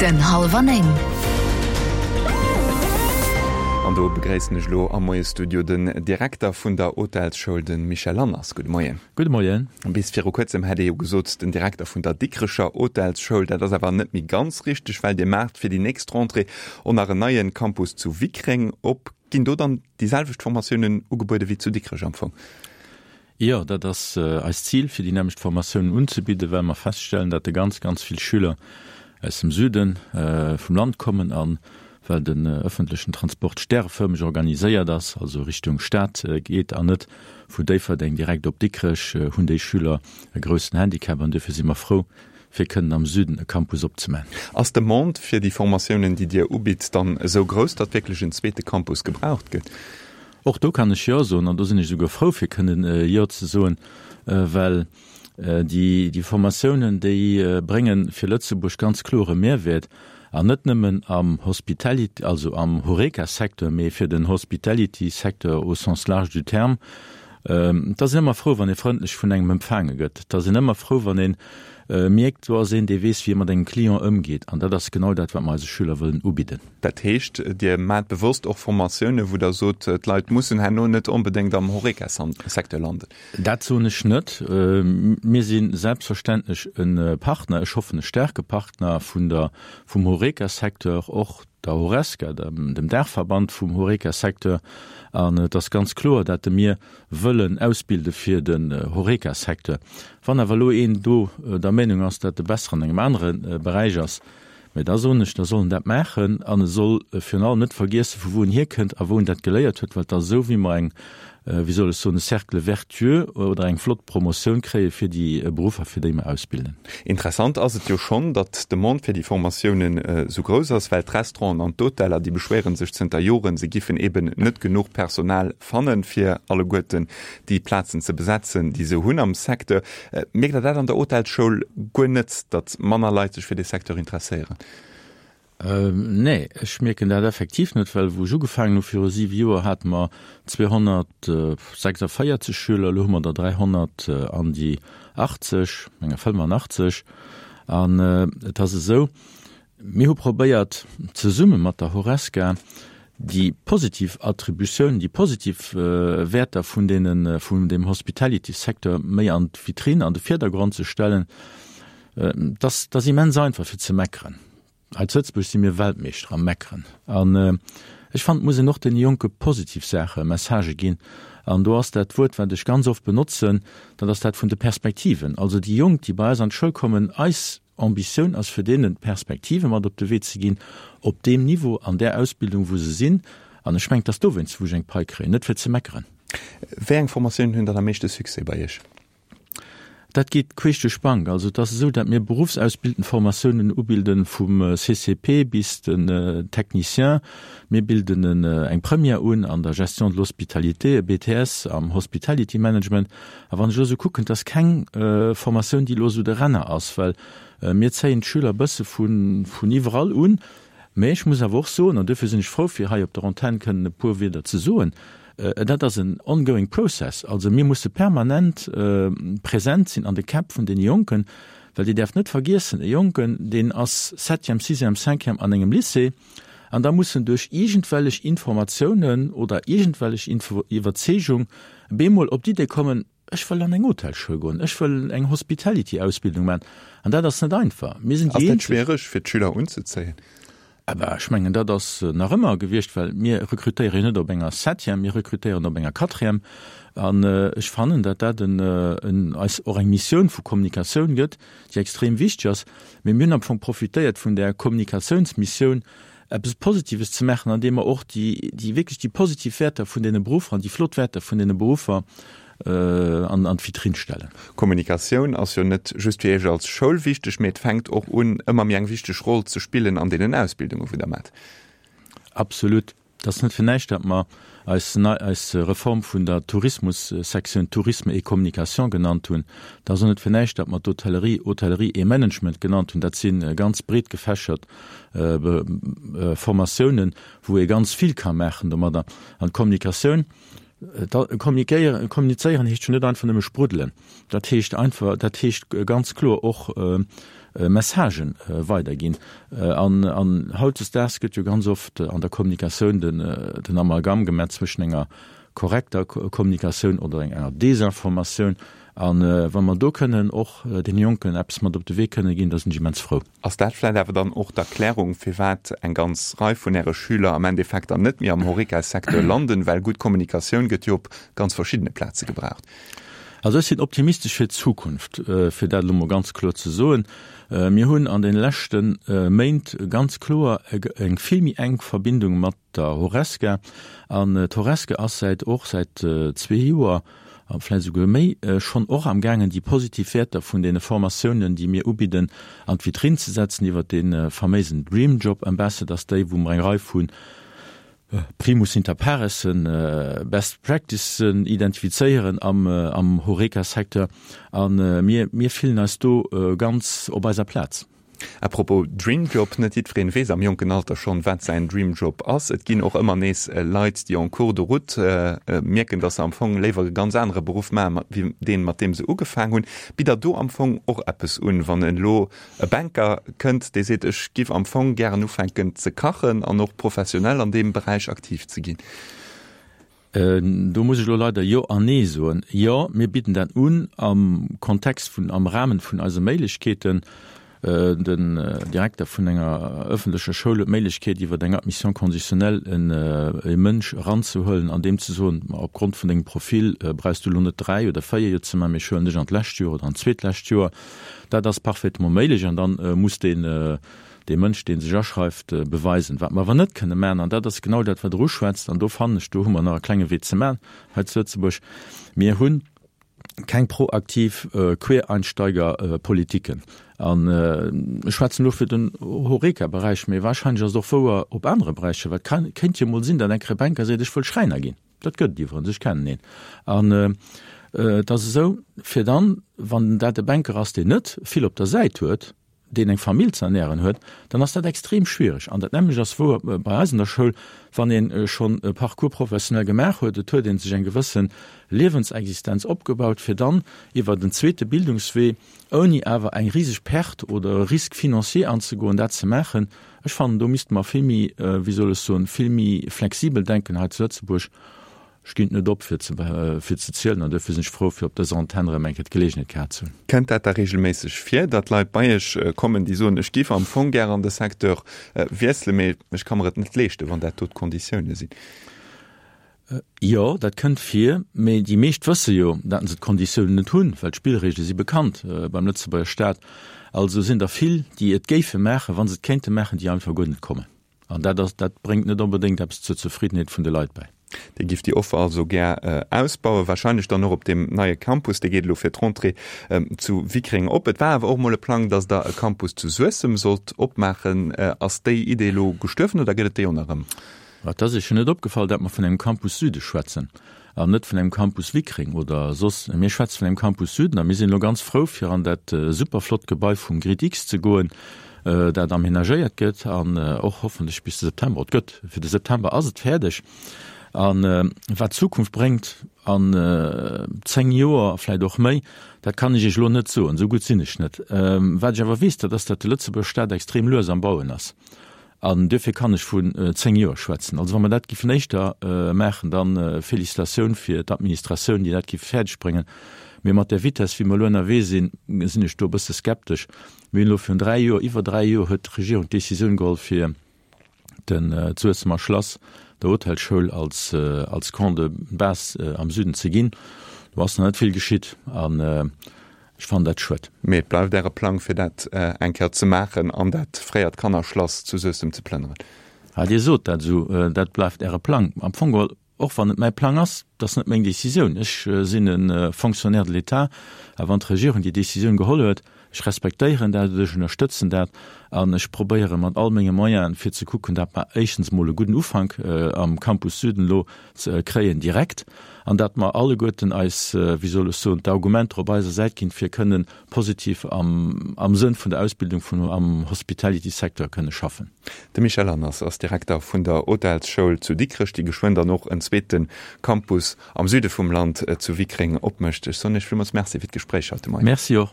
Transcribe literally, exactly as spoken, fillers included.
Den hallwer néng. An do begréissen ech elo am Moie-Studio den Direkter vun der Hotelsschoul, de Michel Lanners. Gudde Moien. Gudde Moien. Bis viru kuerzem hätt ee jo gesot, den Direkter vun der Dikrecher Hotelsschoul. Dat ass awer net méi ganz richteg, well Dir maacht fir déi nächst Rentrée och nach en neie Campus zu Wickreng op. Ginn do dann déi selwecht Formatiounen ugebuede wéi zu Dikrech am Fong? Jo, dat ass eist Zil, fir déi nämmlecht Formatiounen unzebidden, well mer feststellen, datt ganz, ganz vill Schüler aus dem Süde vum Land kommen a well den ëffentlechen Transport stärefërmeg organiséiert ass, also Richtung Stad geet an net vu Déifferdeng direkt op Dikrech, hunn déi Schüler e groussen Handicap an duerfir si mer frou, fir kënnen am Süden e Campus opzemaachen. Ass d'Demande fir déi Formatiounen, déi Dir ubitt, dann esou grouss, datt wierklech en zweete Campus gebraucht gëtt? Och do kann ech Jo soen, an do sinn ech esouguer frou, fir kënnen Jo ze soen, well déi, déi Formatiounen, déi brénge fir Lëtzebuerg ganz kloer e Mehrwäert, an net nëmmen am Hospitality, also am Horeca-Secteur, mee fir den Hospitality-Secteur au sens large du terme. Et ass een ëmmer frou, wann ee frëndlech vun engem empfaange gëtt. Et ass een ëmmer frou, wann ee mierkt, do ass een, dee weess, wéi e mat engem Client ëmgeet. An dat ass genau dat, wat mer eise Schüler wëllen ubidden. Dat heescht, Dir maacht bewosst och Formatiounen, wou Der sot, d'Leit mussen herno net onbedéngt am Horeca-Secteur landen? Dat soen ech net. Mir si selbstverständlech e Partner, ech hoffen e staarke Partner vun der, vum Horeca-Secteur, och der Horesca, dem Daachverband vum Horeca-Secteur. An et ass ganz kloer, datt mir wëllen ausbilde fir den Horeca-Secteur. Wann awer elo een do der Meenung ass, datt e besser an engem anere Beräich ass, mä da soen ech, da soll en dat maachen an e soll virun allem net vergiessen, vu wou en hierkënnt a wou en dat geléiert huet, well et ass esou, wéi mer eng, wéi soll ech soen, e Cercle vertueux oder eng flott Promotioun kréie fir déi Beruffer, fir déi mer ausbilden. Interessant ass et jo schonn, datt d'Demande fir déi Formatiounen esou grouss ass, well d'Restauranten an d'Hoteller, déi beschwéiere sech zënter Joren, se giffen eben net genuch Personal fannen, fir alleguerten déi Plazen ze besetzen, déi se hunn am Secteur. Mierkt Der dat an der Hotelsschoul guer net, datt manner Leit sech fir dee Secteur interesséieren? Nee, ech mierken dat effektiv net, well wou ech ugefaangen hu viru siwe Joer, hate mer zweehonnertsechsundvéierzeg Schüler, elo hu mer der dräihonnert an déi achtzeg, menger fënnefenachtzeg. An et ass esou, mir hu probéiert, zesumme mat der Horesca déi positiv Attributiounen, déi positiv Wäerter vun deene, vun deem Hospitality-Secteur méi an d'Vitrine, an de Virdergrond ze stellen. Et ass, et ass immens einfach fir ze meckeren. Hei zu Lëtzebuerg si mir Weltmeeschter am Meckeren. An ech fannen, et muss een och deene Jonke positiv Saache, Messagë ginn. An do ass dat Wuert, wat ech ganz oft benotzen, dat ass dat vun de Perspektiven. Also déi Jonk, déi bei eis an d'Schoul kommen, eis Ambitioun ass, fir deenen Perspektive mat op de Wee ze ginn, op deem Niveau, an där Ausbildung, wou se sinn. An ech mengen, et ass dowéinst, wou ech eng Pai kréien, net fir ze meckeren. Wéi eng Formatiounen hunn dann am meeschte Succès bei Iech? Dat geet queesch duerch d'Bank. Also et ass esou, datt mir beruffsausbildend Formatiounen ubilden, vum C C P bis den Technicien. Mir bilden eng Première un an der Gestion de l'hospitalité, e B T S am Hospitality Management. A wann ech elo esou kucken, et ass keng Formatioun, déi elo esou de Renner ass, well mir zéien d'Schüler e bësse vun iwwerall un. Mä ech muss awer och soen, an duerfir sinn ech frou, fir hei op der Antenn kënnen e puer Wierder ze soen, dat ass en ongoing process. Also mir musse permanent present sinn an de Käpp vun deene Jonken, well Dir däerft net vergiessen, e Jonken, deen ass Septième, Sixième, Cinquième an engem Lycée, an da muss en duerch iergendwellech Informatiounen oder iergendwellech Iwwerzeegung bemol op d'Idee kommen, Ech wëll an eng Hotelschoul goen, ech wëll eng Hospitality-Ausbildung maachen. An dat ass net einfach. Mir sinn déi eenzeg. Ass dat schwiereg, fir d'Schüler unzezéien? Awer ech mengen, dat ass nach ëmmer gewiescht, well mir rekrutéiere jo net op enger Septième, mir rekrutéieren op enger Quatrième. An ech fannen, datt dat en, en, eis och eng Missioun vu Kommunikatioun gëtt, déi extrem wichteg ass. Mee mir hunn am Fong profitéiert vun där Kommunikatiounsmissioun, eppes Positives ze maachen, andeem mer och déi, déi wierklech déi positiv Wäerter vun deene Beruffer an déi flott Wäerter vun deene Beruffer an an d'Vitrinn stellen. Kommunikatioun ass jo net just fir Iech als Schoul wichteg, mee et fänkt och un, ëmmer méi eng wichteg Roll ze spillen an deenen Ausbildungen, wou Der maacht. Absolut. Et ass net fir näischt, datt mer eis nei, eis Reform vun der Tourismussektioun Tourisme et Communication genannt hunn. Et ass och net fir näischt, datt mer d'Hotellerie Hôtellerie et Management genannt hunn. Dat si ganz breet gefächert Formatiounen, wou ee ganz vill ka maachen domadder. An d'Kommunikatioun, Kommunikéieren, kommunizéieren heescht jo net einfach nëmme spruddelen. Dat heescht einfach, dat heescht ganz kloer och Messagen weiderginn. An, an hautdesdaags gëtt jo ganz oft an der Kommunikatioun den, den Amalgam gemaach zwëschen enger korrekter Kommunikatioun oder enger Desinformatioun. A wa mer do kënnen och deene Jonken eppes mat op de Wee kënne ginn, da sinn ech immens frou. Ass dat vläicht awer dann och d'Erklärung, firwat eng ganz Rei vun Äre Schüler am Endeffekt dann net méi am Horeca-Secteur landen? Well gutt Kommunikatioun gëtt jo op ganz verschiddene Plaze gebraucht. Also ech sinn optimistesch fir d'Zukunft, fir dat elo mol ganz kloer ze soen. Mir hunn an deene leschte Méint ganz kloer eng vill méi enk Verbindung mat der Horesca. An d'Horesca ass säit och säit zwee Joer, a vläicht esouguer méi, schonn och amgaangen, déi positiv Wäerter vun deene Formatiounen, déi mir ubidden, an d'Vitrinn ze setzen iwwert dee faméisen Dream Job Ambassadors Day, wou mer eng Rei vu Primus inter paressen, Best Practicen identifizéieren am am Horeca-Secteur. A mir mir fillen eis do ganz op eiser Plaz. À propos Dream Job, net jiddwereen weess am jonken Alter schonn, wat säin Dream Job ass. Et ginn och ëmmer nees Leit, déi en cours de route mierken, dass se am Fong léiwer e ganz anere Beruff maachen, wéi deen, mat deem se ugefaang hunn. Bitt Der do am Fong och eppes un, wann elo e Banker kënnt, dee seet, ech giff am Fong gären ufänken ze kachen an och professionell an deem Beräich aktiv ze ginn? Do muss ech elo leider Jo an Nee soen. Jo, mir bidden dat un am Kontext vun, am Rahmen vun eise Méiglechkeeten. Den Direkter vun enger ëffentlecher Schoul huet d'Méiglechkeet, iwwer eng Admission conditionnelle en e Mënsch eranzehuelen an deem ze soen, ma opgrond vun dengem Profil brauchs du elo net dräi oder véier Joer ze maachen, mee ech huelen dech an d'lescht Joer oder an d'zweetlescht Joer. Dat ass parfaitement méiglech an dann muss deen dee Mënsch, dee sech aschreift, beweisen. Wat mer awer net kënne maachen, an dat ass genau dat, wat Der uschwätzt, an do fannen ech, do hu mer nach e klenge Wee ze maachen hei zu Lëtzebuerg, Mir hunn keng proaktiv Quereinsteigerpolitiken. An ech schwätzen elo fir den Horeca-Beräich, mee wahrscheinlech ass et och wouer op anere Beräicher, well et kéint jo emol sinn, datt eng Kéier e Banker seet, ech wëll Schräiner ginn. Dat gëtt et iwwerens, ech kennen een. An et ass esou, fir dann, wann dat e Banker ass, deen net vill op der Säit huet, deen eng Famill ze ernären huet, dann ass dat extrem schwiereg. An dat nämmlecht ass wouer bei eis an der Schoul, wann ee schonn e Parcours professionnel gemaach huet, et huet ee sech eng gewësse Liewensexistenz opgebaut, fir dann iwwer en zweete Bildungswee, ouni awer eng riseg Perte oder e Risque financier anzegoen, dat ze maachen. Ech fannen, do misste mer vill méi, wéi soll ech soen, vill méi flexibel denken hei zu Lëtzebuerg. Ech ginn et net op fir ze fir ze zielen an duerfir sinn ech frou fir op dëser Antenn erëm eng Kéier d'Geleegenheet gehat ze hunn. Kënnt dat da regelméisseg vir, datt Leit bei Iech kommen, déi soen, ech giff am Fong gär an de Secteur wiesselen, mee ech ka mer et net leeschten, wann dat do d'Konditioune sinn? Jo, dat kënnt vir, mee déi meescht wësse jo, datt se d'Konditiounen net hunn, well d'Spillregele si bekannt beim Lëtzebuerger Staat. Also sinn der vill, déi et géife maachen, wa se et kéinte maachen, déi einfach guer net kommen. An dat ass, dat bréngt net onbedéngt eppes zur Zefriddenheet vun de Leit bäi. Dir gifft déi Offer also gär ausbauen, wahrscheinlech dann och op deem neie Campus. Dee geet elo fir d'Rentrée zu Wickreng op. Et war awer och mol e Plang, datt Der e Campus zu Suessem sollt opmaachen. Ass déi Idee elo gestuerwen oder gëtt et déi och nach erëm? Et ass Iech jo net opgefall, datt mer vun engem Campus Süde schwätzen an net vun engem Campus Wickreng oder soss. Mir schwätze vun engem Campus Süden a mir sinn elo ganz frou, fir an dat super flott Gebai vum GridX ze goen, dat aménagéiert gëtt an och hoffentlech bis de September, et gëtt, fir de September ass et fäerdeg. A wat d'Zukunft bréngt an zéng Joer, vläicht och méi, dat kann ech Iech elo net soen, esou gutt sinn ech net. Wat ech awer weess, dat ass, datt de Lëtzebuerger Staat extrem lues am Bauen ass. An duerfir kann ech vun zéng Joer schwätzen. Also wa mer dat giffen éischter maachen, da Félicitatioun fir d'Administratioun, déi dat giff fäerdeg bréngen. Mee mat där Vitesse, wéi mer elo ënnerwee sinn, sinn ech do e bësse skeptesch. Mir hunn elo virun dräi Joer, iwwer dräi Joer huet d'Regierung d'Décisioun geholl, fir den d'Suessemer Schlass der Hotelschoul als als Camp de base am Süden ze ginn. Do ass nach net vill geschitt. An Ech fannen dat schued. Mee et bleift Äre Plang, fir dat eng Kéier ze maachen an dat fréiert Kannerschlass zu Suessem ze plënneren? Ah, Dir sot dat esou, dat bleift Äre Plang. Am Fong geholl, och wann et mäi Plang ass, dat ass net meng Décisioun. Ech sinn e Fonctionnaire de l'État a wann d'Regierung déi Décisioun geholl huet, Ech respektéieren dat, ech ënnerstëtzen dat an ech probéiere mat all menge Moyenen, fir ze kucken, dat mer éischtens mol e gudden Ufank am Campus Süden elo ze kréien direkt an dat mer alleguerten eis, wéi soll ech soen, d'Argumenter op eiser Säit ginn, fir kënnen positiv am am Sënn vun der Ausbildung vun am Hospitality-Secteur kënne schaffen. De Michel Lanners ass Direkter vun der Hotelsschoul zu Dikrech, déi geschwënn dann och en zweete Campus am Süde vum Land zu Wickreng opmécht. Ech soen Iech villmools Merci fir d'Gespréich haut de Moien. Merci och.